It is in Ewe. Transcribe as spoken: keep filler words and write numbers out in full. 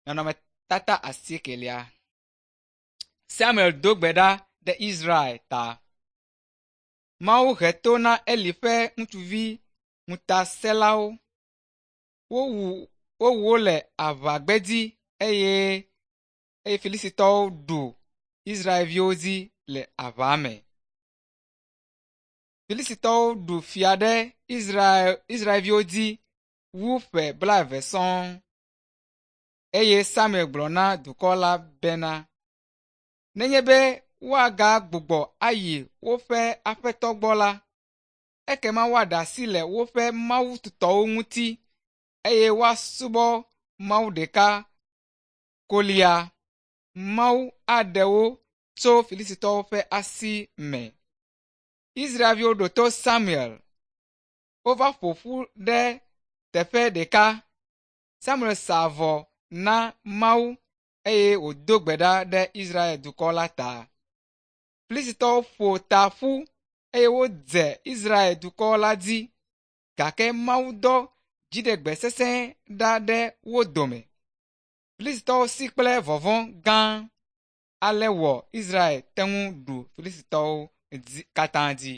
Nɔnɔmetata asiekelia. Samuel do gbe ɖa ɖe Israel ta. Mawu he to na Eli ƒe ŋutsuvi ŋutasẽlawo. Wowu wowu wo le aʋagbedzi eye eye Filistitɔwo ɖu Israelviwo dzi le aʋa me. Filistitɔwo ɖu fia ɖe Israel Israelviwo dzi wu ƒe blaeve sɔŋ. Eye Samuel gblɔ na dukɔ la bena, “Nenye be woagagbugbɔ ayi woƒe aƒetɔ gbɔ la, ekema woaɖe asi le woƒe mawu tutɔwo ŋuti eye woasubɔ Mawu ɖeka kolia. Mawu aɖe wo tso Filistitɔwo ƒe asi me.” Israelviwo ɖo to Samuel. Wova ƒo ƒu ɖe teƒe ɖeka. Samuel sa vɔ na Mawu eye wòdo gbe ɖa ɖe Israel dukɔ la ta. Filistitɔwo ƒo ta ƒu eye wodze Israel dukɔ la dzi gake Mawu dɔ dziɖegbe sesẽ ɖa ɖe wo dome. Filistitɔwo si kple vɔvɔ̃ gã. Ale wɔ Israel te ŋu ɖu Filistitɔwo katã dzi.